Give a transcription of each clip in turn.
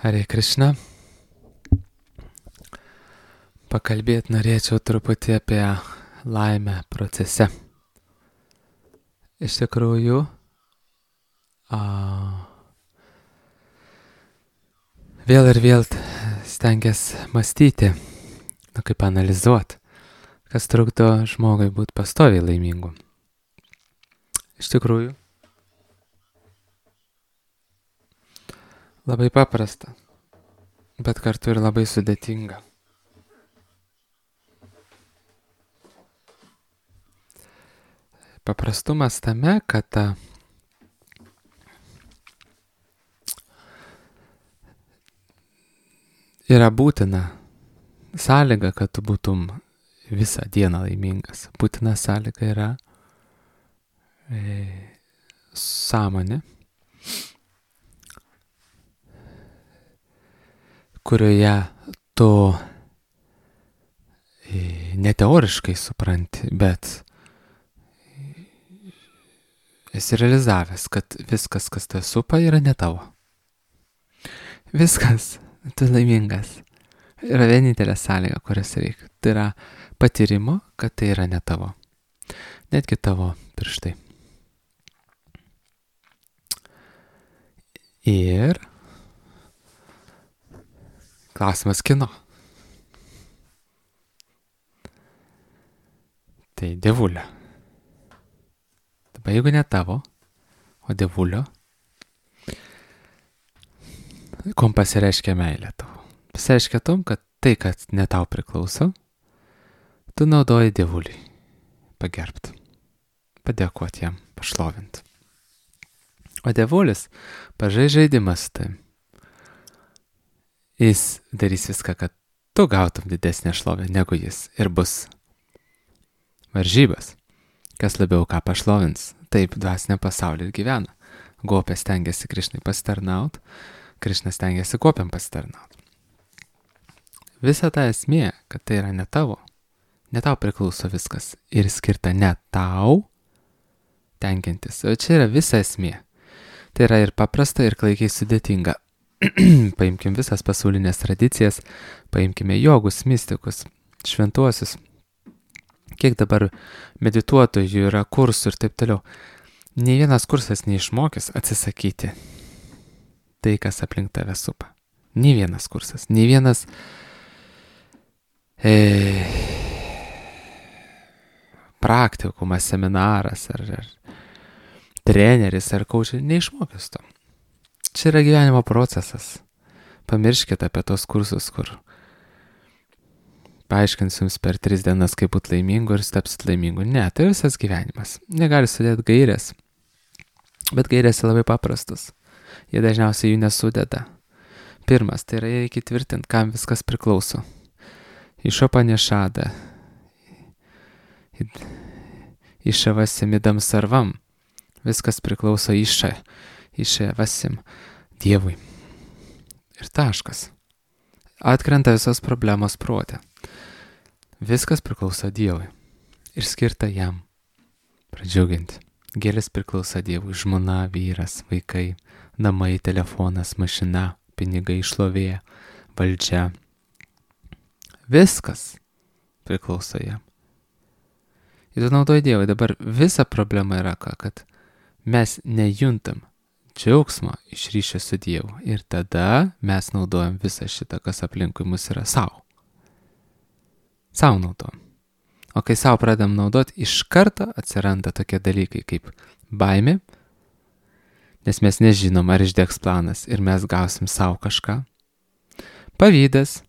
Hare Krishna. Pakalbėti norėčiau truputį apie laimę procese. Iš tikrųjų, vėl ir vėl stengiasi mąstyti, kaip analizuoti, kas trukdo žmogui būti pastoviai laimingu. Iš tikrųjų, labai paprasta, bet kartu ir labai sudėtinga. Paprastumas tame, kad yra būtina sąlyga, kad tu būtum visą dieną laimingas. Būtina sąlyga yra sąmonė, kurioje tu ne teoriškai supranti, bet esi realizavęs, kad viskas, kas tave supa, yra ne tavo. Viskas, tu laimingas. Yra vienintelė sąlyga, kurias reikia. Tai yra patyrimo, kad tai yra ne tavo. Netgi tavo pirštai. Ir klausimas kieno. Tai dievulio. Dabar jeigu ne tavo, o dievulio, kom pasireiškia meilė tavo? Pasireiškia tom, kad tai, kad ne tau priklauso, tu naudoji dievuliui pagerbti, padėkoti jam, pašlovinti. O dievulis pažais žaidimas tai. Jis darys viską, kad tu gautum didesnę šlovę negu jis ir bus varžybas. Kas labiau ką pašlovins, taip dvasinė pasaulį ir gyvena. Gopė stengiasi Krišnai pasitarnaut, Krišna stengiasi gopiam pasitarnaut. Visa ta esmė, kad tai yra ne tavo priklauso viskas ir skirta ne tau tenkintis. O čia yra visa esmė. Tai yra ir paprasta, ir klaikiai sudėtinga. Paimkim visas pasaulinės tradicijas, paimkime jogus, mistikus, šventuosius. Kiek dabar medituotojų yra kursų ir taip toliau. Nei vienas kursas neišmokys atsisakyti tai, kas aplink tave supa. Nei vienas kursas, nei vienas praktikumas, seminaras ar treneris ar kaučas neišmokys to. Čia yra gyvenimo procesas. Pamirškite apie tos kursus, kur paaiškins jums per 3 dienas, kaip būti laimingu ir tapsit laimingu. Ne, tai visas gyvenimas. Negali sudėti gairės. Bet gairės yra labai paprastus. Jie dažniausiai jų nesudeda. Pirmas, tai yra reikia tvirtinti, kam viskas priklauso. Išopanešada. Išavasim idam sarvam. Viskas priklauso išavasim Dievui. Ir taškas. Atkrenta visos problemos prote. Viskas priklauso Dievui ir skirta jam pradžiuginti. Gėlės priklauso Dievui, žmona, vyras, vaikai, namai, telefonas, mašina, pinigai, šlovė, valdžia. Viskas priklauso jam. Ir tu naudoji Dievui. Dabar visa problema yra kad mes nejuntam džiaugsmo iš ryšio su Dievu. Ir tada mes naudojam visą šitą, kas aplinkui mus yra savo. Sau naudojam. O kai sau pradam naudoti, iš karto atsiranda tokie dalykai kaip baimė, nes mes nežinom, ar išdegs planas ir mes gausim savo kažką. Pavydas,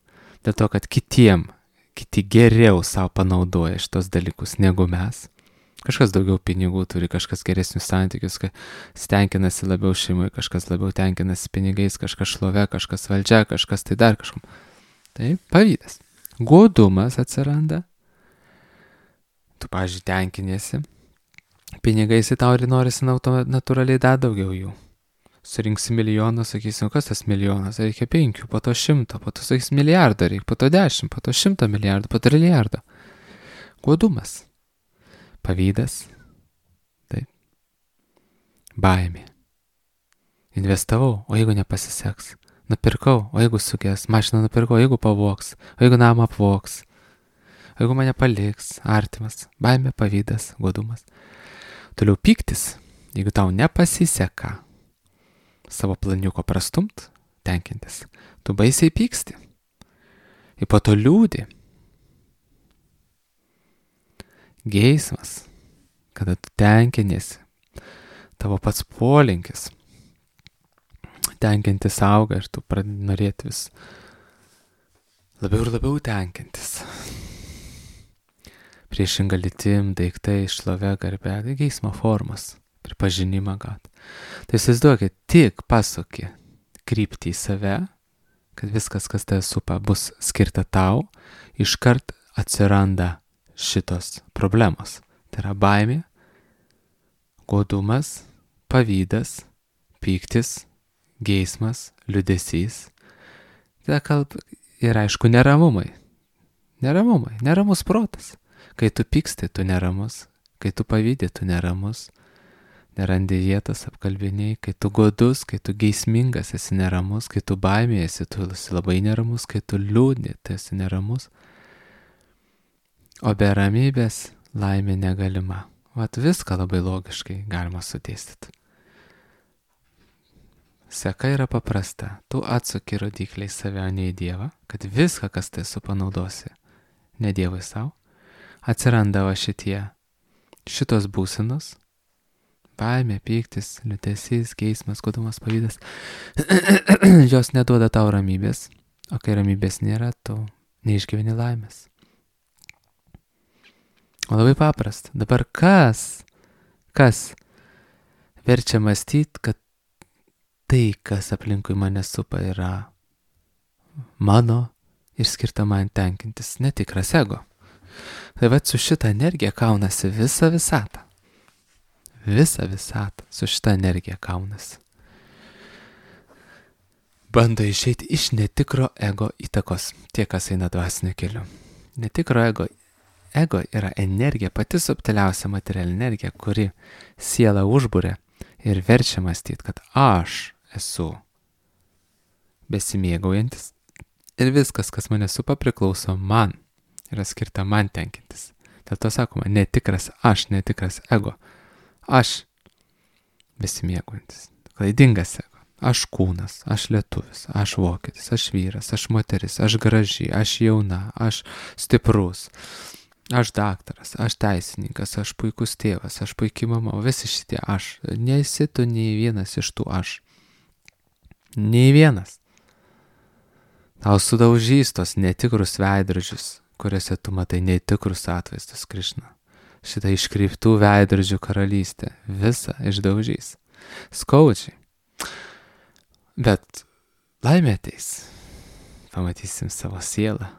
dėl to, kad kiti geriau savo panaudoja šitos dalykus negu mes. Kažkas daugiau pinigų turi, kažkas geresnius santykius, stenkinasi labiau šeimui, kažkas labiau tenkinasi pinigais, kažkas šlove, kažkas valdžia, kažkas tai dar kažkom. Tai pavydas. Godumas atsiranda. Tu, pavyzdžiui, tenkinėsi. Pinigais į tau ir norisi natūraliai dar daugiau jų. Surinksi milijoną, sakysim, kas tas milijonas? Reikia 5, po to 100, po to, sakysim, milijardą reikia, po to 10, po to 100 milijardų, po to trilijardą. Godumas. Pavydas. Taip. Baimė. Investavau, o jeigu nepasiseks? nupirkau, o jeigu suges, mašiną nupirkau, jeigu pavogs, o jeigu namą apvogs, o jeigu mane paliks, artimas, baimė, pavydas, godumas. Toliau pyktis, jeigu tau nepasiseka savo planiuko prastumt, tenkintis, tu baisiai pyksti. Ir po to liūdi. Geismas, kada tu tenkinėsi, tavo pats polinkis, tenkintis auga ir tu pradedi norėti vis labiau ir labiau tenkintis. Priešinga lytim, daiktai, šlovė, garbė, tai geismo formos, pripažinimą gaut. Tai įsivaizduokit, tik pasuki kryptį į save, kad viskas, kas tave supa, bus skirta tau, iškart atsiranda šitos problemos. Tai yra baimė, godumas, pavydas, pyktis, geismas, liūdesys. Ir aišku, neramumai. Neramus protas. Kai tu pyksti, tu neramus. Kai tu pavydė, tu neramus. Nerandi vietos, apkalbiniai. Kai tu godus, kai tu geismingas, esi neramus. Kai tu baimėjasi, tu esi labai neramus. Kai tu liūdni, tu esi neramus. O be ramybės laimė negalima. Vat viską labai logiškai galima sudėstyti. Seka yra paprasta. Tu atsuki rodikliai save, o ne į Dievą, kad viską, kas tai supanaudosi, ne Dievui savo, atsiranda va šitos būsenos, baimė, pyktis, liūdesys, geismas, godumas, pavydas, jos neduoda tau ramybės, o kai ramybės nėra, tu neišgyveni laimės. O labai paprasta. Dabar kas verčia mąstyti, kad tai, kas aplinkui mane supa, yra mano ir skirta man tenkintis, netikras ego. Tai va su šitą energiją kaunasi visą visatą. Visą visatą su šitą energiją kaunasi. Bando išeiti iš netikro ego įtakos, tie, kas eina dvasiniu keliu. Netikro ego yra energija, pati subtiliausia materialinė energija, kuri sielą užbūrė ir verčia mąstyti, kad aš esu besimėgaujantis ir viskas, kas mane supa, priklauso man, yra skirta man tenkintis. Dėl to sakoma, netikras aš, netikras ego. Aš besimėgaujantis, klaidingas ego. Aš kūnas, aš lietuvis, aš vokietis, aš vyras, aš moteris, aš graži, aš jauna, aš stiprus, aš daktaras, aš teisininkas, aš puikus tėvas, aš puikiai mama, visi šitie aš. Nesi tu nei vienas iš tų aš. Nei vienas. Tau sudaužys tos netikrus veidrodžius, kuriuose tu matai netikrus atvaizdus Krišna. Šitą iškreiptų veidrodžių karalystę visą išdaužys. Skaudžiai. Bet laimė ateis. Pamatysim savo sielą.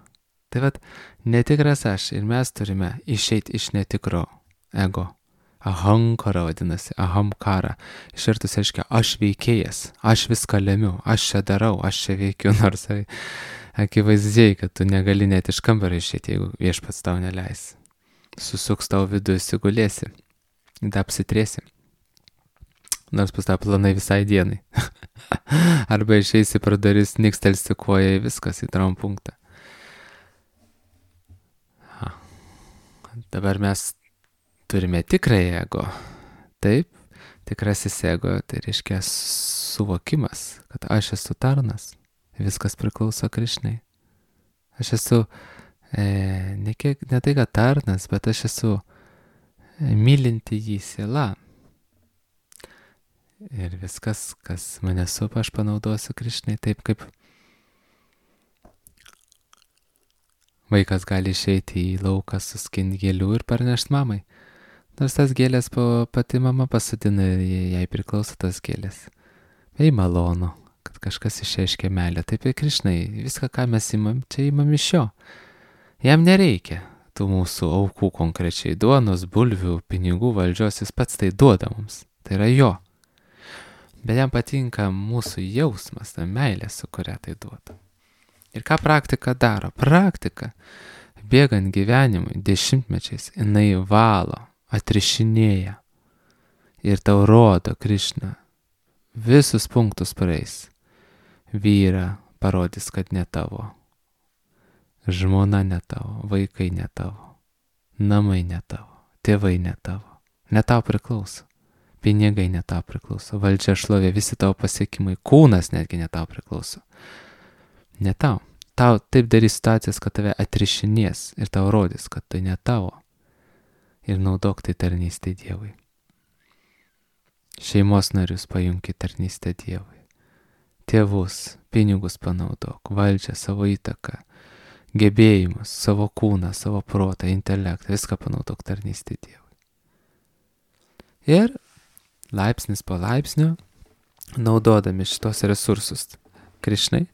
Tai vat, netikras aš ir mes turime išeiti iš netikro ego. Ahankara vadinasi, ahamkara. Išvertus reiškia, aš veikėjas, aš viską lemiu, aš čia darau, aš čia veikiu, nors akivaizdžiai, kad tu negali net iš kambario išeiti, jeigu viešpats tau neleis. Susuks tau vidų, įsigulėsi, apsitrėsi. Nors pas tą planai visai dienai. Arba išeisi pro duris, nikstelsi koja, viskas į traumpunktą. Dabar mes turime tikrąjį ego. Taip, tikrasis ego, tai reiškia suvokimas, kad aš esu tarnas, viskas priklauso Krišnai. Aš esu ne tai, kad tarnas, bet aš esu mylinti jį siela. Ir viskas, kas mane supa, aš panaudosiu Krišnai taip, kaip vaikas gali išeiti į lauką, suskinti gėlių ir parnešti mamai. Nors tas gėlės pati mama pasodina ir jai priklauso tas gėlės. Bei malonu, kad kažkas išreiškia meilę. Taip ir Krišnai, viską, ką mes imam, čia imam iš jo. Jam nereikia tų mūsų aukų konkrečiai, duonos, bulvių, pinigų, valdžios, jis pats tai duoda mums. Tai yra jo. Bet jam patinka mūsų jausmas, ta meilė, su kuria tai duoda. Ir ką praktika daro? Praktika, bėgant gyvenimui, dešimtmečiais, jinai valo, atrišinėja ir tau rodo Krišna. Visus punktus praeis. vyrą parodys, kad ne tavo, žmona ne tavo, vaikai ne tavo, namai ne tavo, tėvai ne tavo, ne tau priklauso, pinigai ne tau priklauso, valdžia, šlovė, visi tavo pasiekimai, kūnas netgi ne tau priklauso, ne tau. Tau taip darys situacijas, kad tave atrišinės ir tau rodys, kad tai ne tavo. Ir naudok tai tarnystė Dievui. Šeimos narius pajunki tarnystę Dievui. Tėvus, pinigus panaudok, valdžią, savo įtaką, gebėjimus, savo kūną, savo protą, intelektą, viską panaudok tarnystė Dievui. Ir laipsnis po laipsnio, naudodami šitos resursus Krišnai,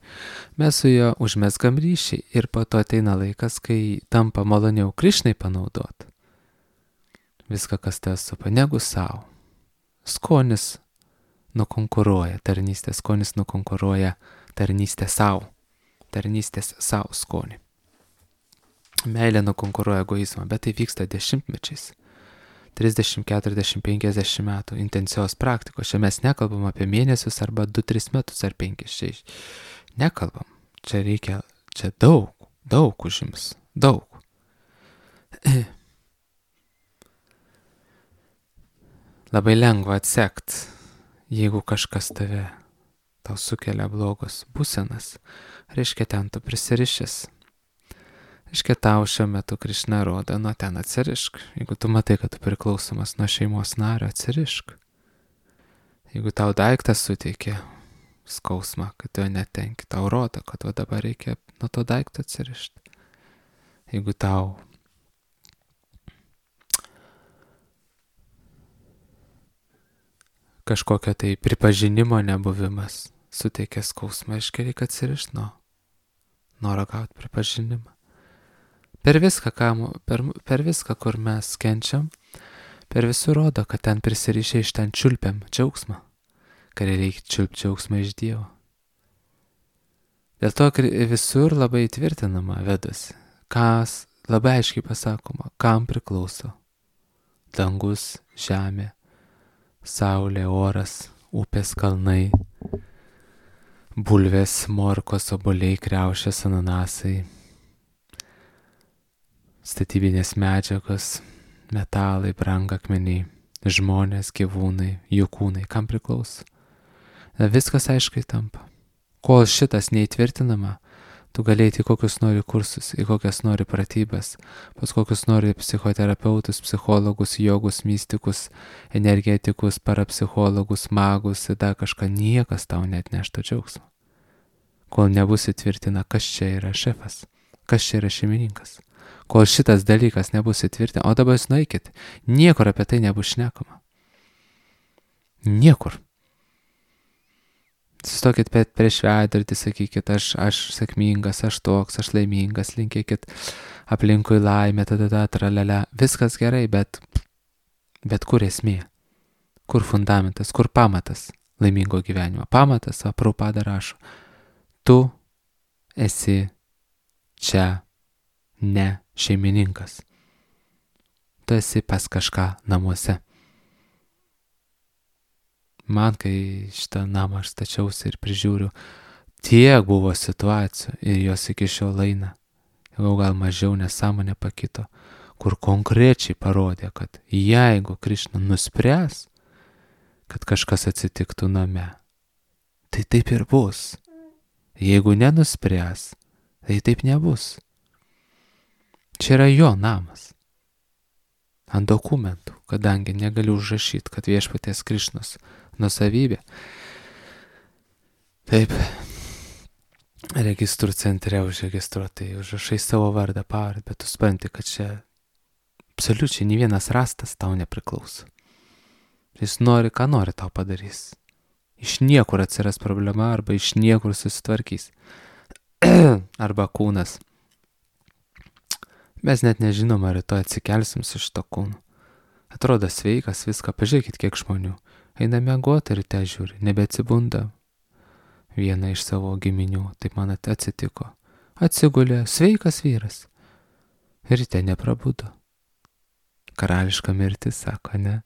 mes su juo užmesgam ryšį ir po to ateina laikas, kai tampa maloniau Krišnai panaudot viską, kas tave supa, negu savo. Skonis nukonkuruoja tarnystę, skonis nukonkuruoja tarnystę savo, tarnystės savo skonį. Meilė nukonkuruoja egoizmą, bet tai vyksta dešimtmečiais. 30, 40, 50 metų intensyvios praktikos. Čia mes nekalbam apie mėnesius arba 2-3 metus ar 5-6. Nekalbam. Čia reikia, čia daug užims. Daug. Labai lengva atsekti, jeigu kažkas tau sukelia blogos būsenas. Reiškia, ten tu prisirišęs. Reiškia, tau šiuo metu Krišna rodo, nuo ten atsirišk. Jeigu tu matai, kad tu priklausomas nuo šeimos nario, atsirišk. Jeigu tau daiktas suteikia skausmą, kad tu jo netenki, tau rodo, kad dabar reikia nuo to daikto atsirišti. Jeigu tau kažkokio tai pripažinimo nebuvimas suteikia skausmą, reiškia, reikia atsirišti nuo noro gauti pripažinimą. Per viską, per viską, kur mes kenčiam, per visur rodo, kad ten prisirišę iš ten čiulpiam džiaugsmą, kad reikia čiulpti džiaugsmą iš Dievo. Dėl to visur labai tvirtinama vedusi, kas labai aiškiai pasakoma, kam priklauso dangus, žemė, saulė, oras, upės, kalnai, bulvės, morkos, obuoliai, kriaušės, ananasai, statybinės medžiagos, metalai, brangakmeniai, žmonės, gyvūnai, jų kūnai, kam priklauso. Viskas aiškiai tampa. Kol šitas neįtvirtinama, tu galėjai į kokius nori kursus, į kokias nori pratybas, pas kokius nori psichoterapeutus, psichologus, jogus, mystikus, energetikus, parapsichologus, magus, dar kažką, niekas tau net neštų džiaugsmo. Kol nebus įtvirtina, kas čia yra šefas, kas čia yra šeimininkas. Kol šitas dalykas nebus įtvirtina, o dabar jūs nueikit, niekur apie tai nebus šnekama. Niekur. Sustokit prieš veidrodį, sakykit, aš sėkmingas, aš toks, aš laimingas, linkėkit aplinkui laimę, tralala, viskas gerai, bet kur esmė? Kur fundamentas, kur pamatas laimingo gyvenimo? Pamatas, Prabhupada rašo, tu esi čia ne šeimininkas. Tu esi pas kažką namuose. Man, kai šitą namą aš stačiausi ir prižiūriu, tiek buvo situacijų ir jos iki šiol eina, jau gal mažiau nesąmonė pakito, kur konkrečiai parodė, kad jeigu Krišna nuspręs, kad kažkas atsitiktų name, tai taip ir bus. Jeigu nenuspręs, tai taip nebus. Čia yra jo namas. Ant dokumentų, kadangi negaliu užrašyti, kad viešpaties Krišnos nusavybė. Taip, registrų centre užregistruotai, užrašai savo vardą, pavardę, bet tu supranti, kad čia absoliučiai nei vienas rastas tau nepriklauso. Jis nori, ką nori tau padarys. Iš niekur atsiras problema, arba iš niekur susitvarkys. Arba kūnas. Mes net nežinom, ar rytoj atsikelsim su šito kūnu. Atrodo sveikas, viską, pažiūrėkit, kiek žmonių. Eina miegoti ryte žiūri, nebeatsibunda. Viena iš savo giminių, taip man atsitiko. Atsigulė, sveikas vyras. Ryte neprabudo. Karališka mirtis, sako, ne.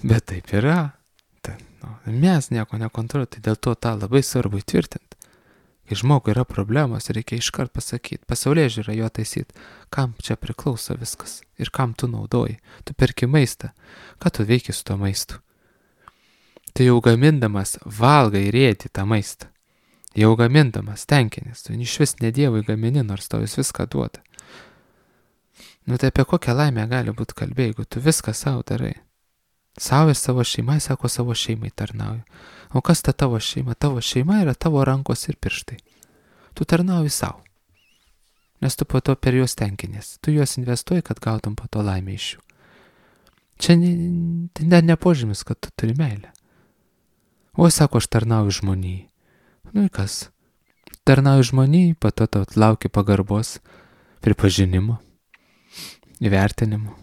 Bet taip yra. Mes nieko nekontroliuojam, tai dėl to tą labai svarbu įtvirtinti. Kai žmogui yra problemos, reikia iškart pasakyti, pasaulėžiūrą jo taisyti, kam čia priklauso viskas ir kam tu naudoji. Tu perki maistą, ką tu veiki su to maistu. Tu jau gamindamas valgai ir ėdi tą maistą. Jau gamindamas tenkinis, tu iš vis ne Dievui gamini, nors tau jis viską duoda. Tai apie kokią laimę gali būti kalbė, jeigu tu viską savo darai. Savo ir savo šeimai, sako, savo šeimai tarnauju. O kas ta tavo šeima? Tavo šeima yra tavo rankos ir pirštai. Tu tarnauji savo. Nes tu po to per juos tenkinės. Tu juos investuoji, kad gautum po to laimę iš jų. Čia net nepožymis, kad tu turi meilę. O sako, aš tarnauju žmonijai. Ir kas? Tarnauju žmonijai, po to tau laukia pagarbos, pripažinimo, įvertinimo.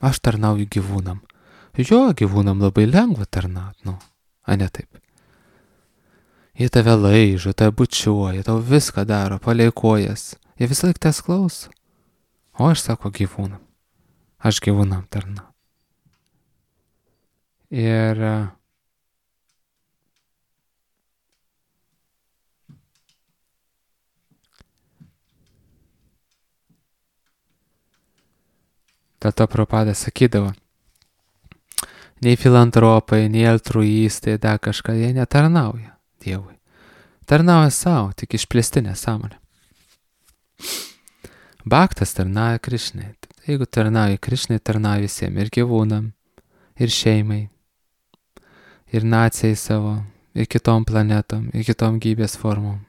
Aš tarnauju gyvūnam. Jo, gyvūnam labai lengva tarnauti, a ne taip. Jie tave laižo, tave bučiuoja, tau viską daro, palei kojas. Jie visą laiką tas klauso. O aš sako gyvūnam. Aš gyvūnam tarnauju. Ir dėl to Prabhupada sakydavo, nei filantropai, nei altruistai, dar kažką, jie netarnauja Dievui. Tarnauja savo, tik išplėstinė sąmonė. Bhaktas tarnauja Krišnai. Jeigu tarnauja Krišnai, tarnauja visiems, ir gyvūnam, ir šeimai, ir nacijai savo, ir kitom planetom, ir kitom gyvybės formom.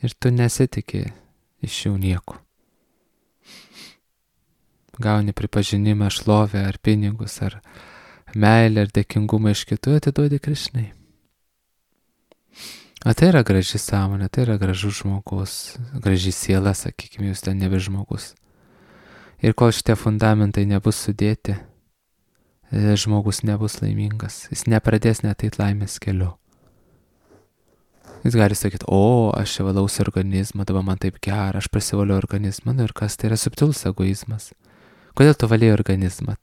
Ir tu nesitikė iš jų nieko. Gauni pripažinimą, šlovę, ar pinigus, ar meilę, ar dėkingumą iš kitų, atiduodi Krišnai. O tai yra graži sąmonė, tai yra gražus žmogus, graži siela, sakykime, jūs ten nebe žmogus. Ir kol šitie fundamentai nebus sudėti, žmogus nebus laimingas, jis nepradės net eit laimės keliu. Jis gali sakyti, aš čia valausi organizmą, dabar man taip gera, aš prasivaliu organizmą, ir kas, tai yra subtilus egoizmas. Kodėl tu valėjai organizmą?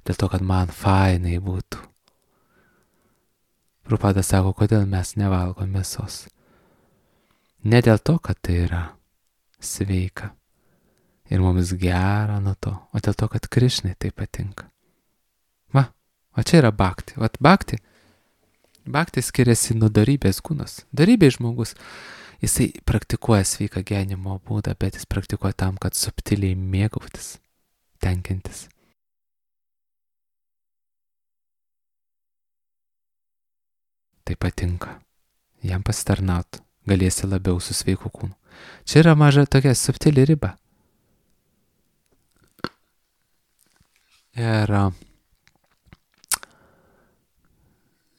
Dėl to, kad man fainai būtų. Prabhupada sako, kodėl mes nevalgom mėsos. Ne dėl to, kad tai yra sveika ir mums gera nuo to, o dėl to, kad Krišnai tai patinka. O čia yra bhakti. Bhakti skiriasi nuo darybės kūnas. Darybės žmogus, jisai praktikuoja sveiką gyvenimo būdą, bet jis praktikuoja tam, kad subtiliai mėgautis, tenkintis. Tai patinka. Jam pasitarnaut, galėsi labiau su sveiku kūnu. Čia yra maža tokia subtili riba. Ir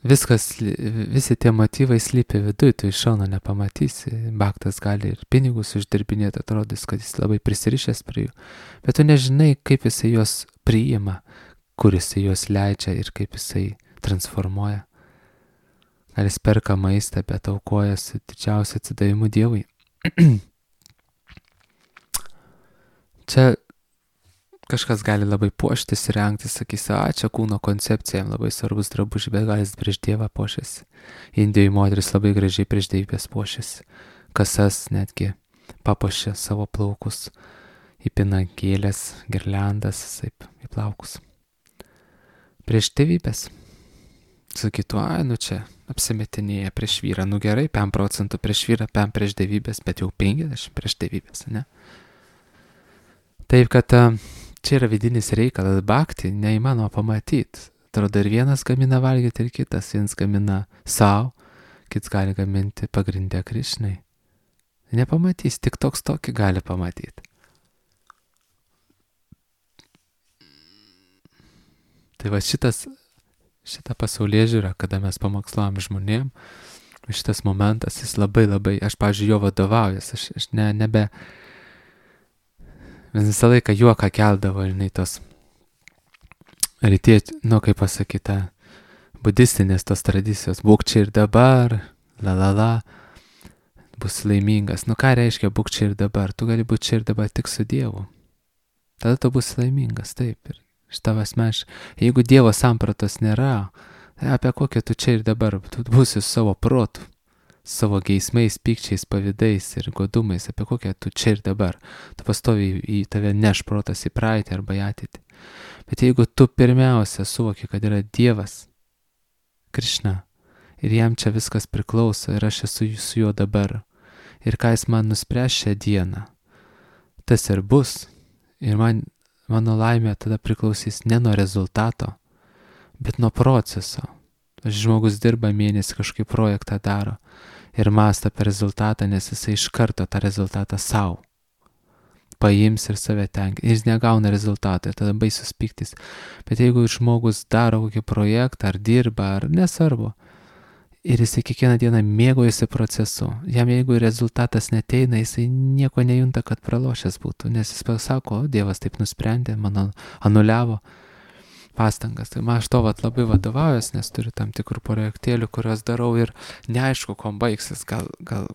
visi tie motyvai slypi viduj, tu iš šono nepamatysi. Bhaktas gali ir pinigus uždirbinėti, atrodys, kad jis labai prisirišęs prie jų. Bet tu nežinai, kaip jisai juos priima, kur jisai juos leidžia ir kaip jisai transformuoja. Gal jis perka maistą, bet aukoja su didžiausiu atsidavimu Dievui. Čia kažkas gali labai puoštis ir rengtis, sakys, čia kūno koncepcija, jam labai svarbus drabužiai, bet gal jis prieš Dievą puošiasi. Indijoj moteris labai gražiai prieš Dievybės puošiasi. Kasas netgi papuošia savo plaukus, įpina gėlės, girliandas, taip, į plaukus. Prieš Dievybės. Sakytų, čia apsimetinėja prieš vyrą. Gerai, 5% prieš vyrą, 5 prieš Dievybės, bet jau 50 prieš Dievybės, ne? Taip, kad čia yra vidinis reikalas, bhakti neįmanoma pamatyti. Atrodo, ir vienas gamina valgyti, ir kitas. Vienas gamina savo, kitas gali gaminti pagrindę Krišnai. Nepamatys, tik toks tokį gali pamatyti. Tai va šitą pasaulėžiūrą, kada mes pamoksluojam žmonėm, šitas momentas, jis labai, aš, pavyzdžiui, jo vadovaujas, aš nebe, mes visą laiką juoką keldavo, tos rytiečių, kaip pasakyta, budistinės tos tradicijos, būk čia ir dabar, bus laimingas. Ką reiškia būk čia ir dabar? Tu gali būti čia ir dabar tik su Dievu. Tada tu bus laimingas, taip. Ir Šitą asmeniškai. Jeigu Dievo sampratos nėra, tai apie kokią tu čia ir dabar, tu būsi su savo protu, savo geismais, pykčiais, pavydais ir godumais, apie kokią tu čia ir dabar. Tu pastoviai į tave neš protas į praeitį arba į ateitį. Bet jeigu tu pirmiausia suvoki, kad yra Dievas, Krišna, ir jam čia viskas priklauso ir aš esu su juo dabar, ir ką jis man nuspręs šią dieną, tas ir bus. Ir mano laimė tada priklausys ne nuo rezultato, bet nuo proceso. Žmogus dirba mėnesį, kažkaip projektą daro ir mąsto apie rezultatą, nes jisai iš karto tą rezultatą savo paims ir save tenkina. Jis negauna rezultato ir tada baisus pyktis. Bet jeigu žmogus daro kokį projektą, ar dirba, ar nesvarbu, ir jisai kiekvieną dieną mėgaujasi procesu, jam jeigu rezultatas neteina, jisai nieko nejunta, kad pralošęs būtų, nes jis pasako, Dievas taip nusprendė, man anuliavo pastangas. Tai aš to labai vadovaujuos, nes turiu tam tikrų projektėlių, kuriuos darau ir neaišku, kuom baigsis, gal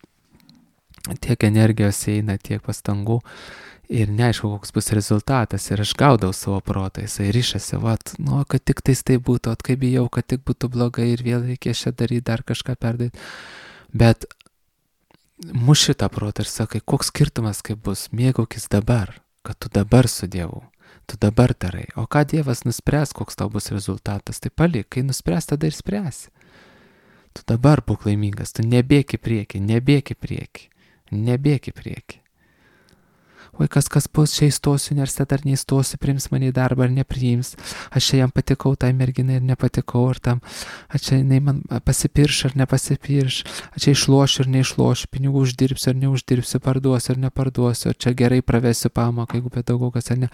tiek energijos eina, tiek pastangų ir neaišku, koks bus rezultatas ir aš gaudau savo protą, jisai ryšasi, kad tik tais tai būtų, kaip bijau, kad tik būtų blogai ir vėl reikės čia daryti, dar kažką perdaryti. Bet muši tą protą ir sakai, koks skirtumas kaip bus, mėgaukis dabar, kad tu dabar su Dievu, tu dabar darai. O ką Dievas nuspręs, koks tau bus rezultatas, tai palik, kai nuspręs, tada ir spręsi. Tu dabar būk laimingas, tu nebėk į priekį, nebėk į priekį. Oi, kas bus, čia įstosiu universitetą ar neįstosiu, priims mane į darbą ar nepriims, aš čia jam patikau, tai merginai ir nepatikau, ar tam, aš čia jinai man pasipirš ar nepasipirš, aš čia išlošiu ar neišlošiu, pinigų uždirbsiu ar neuždirbsiu, parduosiu ar neparduosiu, ar čia gerai pravesiu pamoką, jeigu pedagogas ar ne.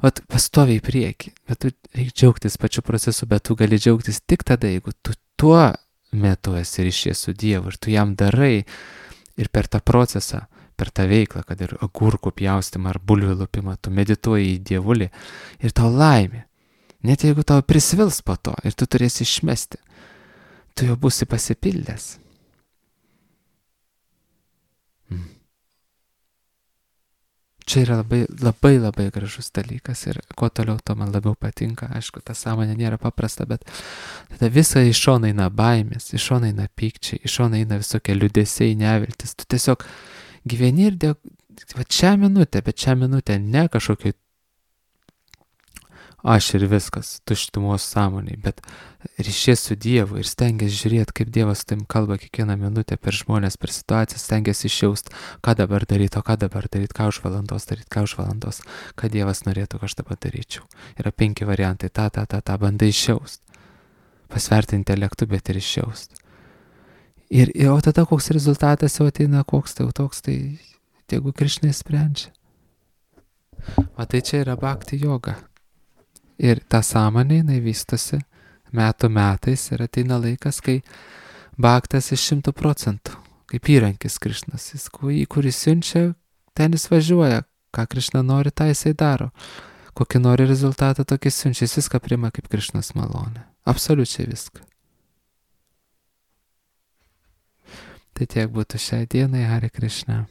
Pastoviai į priekį, bet tu reikia džiaugtis pačiu procesu, bet tu gali džiaugtis tik tada, jeigu tu tuo metu esi ryšys su Dievu ir tu jam darai ir per tą procesą, per tą veiklą, kad ir agurkų pjaustymą ar bulvių lupimą, tu medituoji į Dievulį ir tau laimė. Net jeigu tau prisvils po to ir tu turėsi išmesti, tu jau būsi pasipildęs. Čia yra labai gražus dalykas ir kuo toliau to man labiau patinka. Aišku, ta sąmonė nėra paprasta, bet tada visą iš šono eina baimės, iš šono eina pykčiai, iš šono eina visokie liūdesiai, neviltis. Tu tiesiog gyveni ir šią minutę ne kažkokiai aš ir viskas, tuštumos sąmoniai, bet ryšies su Dievu ir stengiasi žiūrėti, kaip Dievas su tavim kalba kiekvieną minutę per žmonės, per situacijas, stengiasi išjaust, ką dabar daryti, ką už valandos, ką Dievas norėtų, kad aš dabar daryčiau. Yra 5 variantai, tą bandai išjaust. Pasverti intelektu, bet ir išjaust. O tada koks rezultatas jau ateina, koks toks, tai jeigu Krišna sprendžia. Tai čia yra bhakti joga. Ir ta sąmonė, jinai vystosi metų metais ir ateina laikas, kai bhaktas iš 100%, kaip įrankis Krišnas, kuris siunčia, ten jis važiuoja, ką Krišna nori, tą jisai daro. Kokį nori rezultatą, tokį siunčia, jis viską priima kaip Krišnos malonė. Absoliučiai viską. Tai tiek būtų šiai dienai, Hare Krishna.